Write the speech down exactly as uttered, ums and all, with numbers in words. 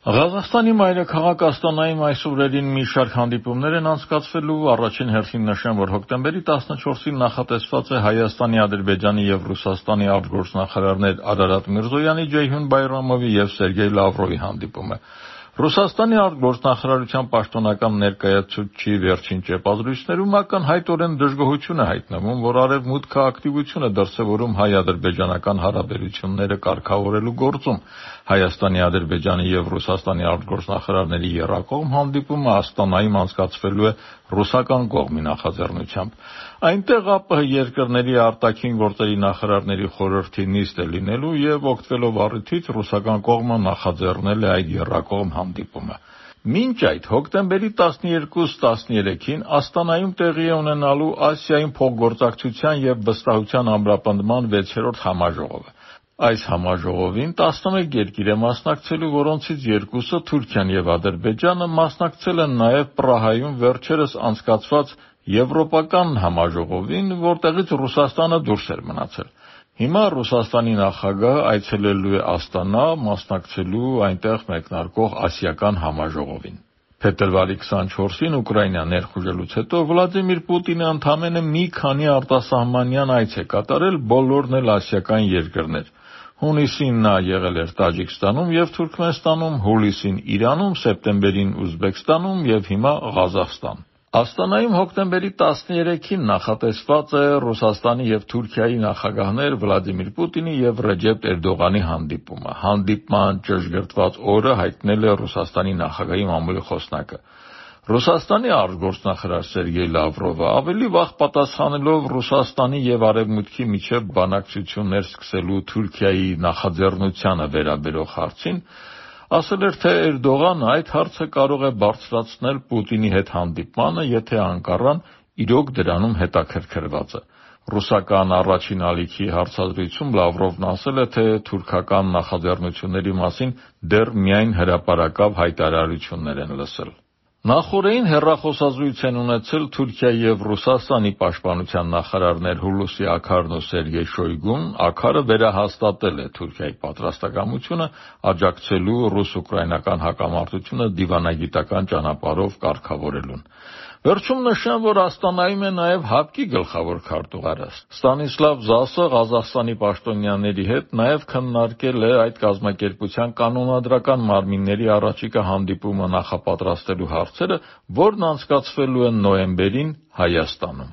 Ղազախստանի մայրաքաղաք Աստանայում այս օրերին մի շարք հանդիպումներ են անցկացվելու։ Առաջին հերթին նշեմ, որ հոկտեմբերի տասնչորսին նախատեսված է Հայաստանի, Ադրբեջանի և Ռուսաստանի արտգործնախարարներ Արարատ Միրզոյանի, Ջեյհուն Բայրամովի և Սերգեյ Լավրովի հանդիպումը։ Ռուսաստանի արտգործնախարարության պաշտոնական ներկայացուցչի վերջին ճեպազրույցներում ակնհայտորեն դժգոհություն է հայտնվում, որ Արևմուտքը ակտիվություն է դրսևորում հայ-ադրբեջանական հարաբերությունները կարգավորելու գործում։ Հայաստանի, Ադրբեջանի և Ռուսաստանի արտգործնախարարների եռակողմ հանդիպումը Աստանայում անցկացվելու է ռուսական կողմի նախաձեռնությամբ։ Այնտեղ ԱՊՀ երկրների արտաքին գործերի նախարարների խորհրդի նիստ է լինելու և օգտվելով առիթից ռուսական կողմը նախաձեռնել է այդ եռակողմ հանդիպումը։ Մինչ այդ, հոկտեմբերի տասներկուս-տասներեքին Աստանայում տեղի է ունենալու Ասիայում փոխգործակցության և վստահության ամրապնդման վեցերորդ համաժողովը։ Այս համաժողովին տասնմեկ երկիր է մասնակցելու, որոնցից երկուսը՝ Թուրքիան և Ադրբեջանը, մասնակցել են նաև Պրահայում վերջերս անցկացված Եվրոպական համաժողովին, որտեղից Ռուսաստանը դուրս էր մնացել։ Հիմա Ռուսաստանի նախագահը այցելելու է Աստանա՝ մասնակցելու այնտեղ մեկնարկող ասիական համաժողովին։ Փետրվարի քսանչորսին Ուկրաինա ներխուժելուց հետո Վլադիմիր Պուտինը ընդամենը մի քանի արտասահմանյան այց է կատարել, բոլորն էլ ասիական երկրներ։ Հունիսին նա եղել էր Տաջիկստանում և Թուրքմենստանում, հուլիսին Իրանում, սեպտեմբերին Ուզբեկստանում և հիմա Ղազախստան։ Աստանայում հոկտեմբերի տասներեքին նախատեսված է Ռուսաստանի և Թուրքիայի նախագահներ Վլադիմիր Պուտինի և Ռեջեփ Էրդողանի հանդիպումը։ Հանդիպման ճշգրտված օրը հայտնել է Ռուսաստանի նախագահի մամուլի խոսնակը։ Ռուսաստանի արտգործնախարար Սերգեյ Լավրովը ավելի վաղ պատասխանելով Ռուսաստանի և Արևմուտքի միջև բանակցություններ սկսելու Թուրքիայի նախաձեռնությանը վերաբերող հարցին ասել էր, թե Էրդողանը այդ հարցը կարող է բարձրացնել Պուտինի հետ հանդիպմանը, եթե Անկարան իրոք դրանում հետաքրքրված է։ Ռուսական առաջին ալիքի հարցազրույցում Լավրովն ասել է, թե թուրքական նախաձեռնությունների մասին դեռ միայն հրապարակավ հայտարարություններ են լսել։ Նախօրեին հեռախոսազրույց են ունեցել Թուրքիայի և Ռուսաստանի պաշտպանության նախարարներ Հուլուսի Աքարն ու Սերգեյ Շոյգուն։ Աքարը վերահաստատել է Թուրքիայի պատրաստակամությունը աջակցելու ռուս-ուկրաինական հակամարտությունը դիվանագիտական ճանապարհով կարգավորելուն։ Վերջում նշեմ, որ Աստանայում է նաև ՀԱՊԿ-ի գլխավոր քարտուղարը։ Ստանիսլավ Զասը Ղազախստանի պաշտոնյաների հետ նաև քննարկել է այդ կազմակերպության կանոնադրական մարմինների առաջիկա հանդիպումը նախապատրաստելու հարցերը, որն անցկացվելու է նոյեմբերին Հայաստանում։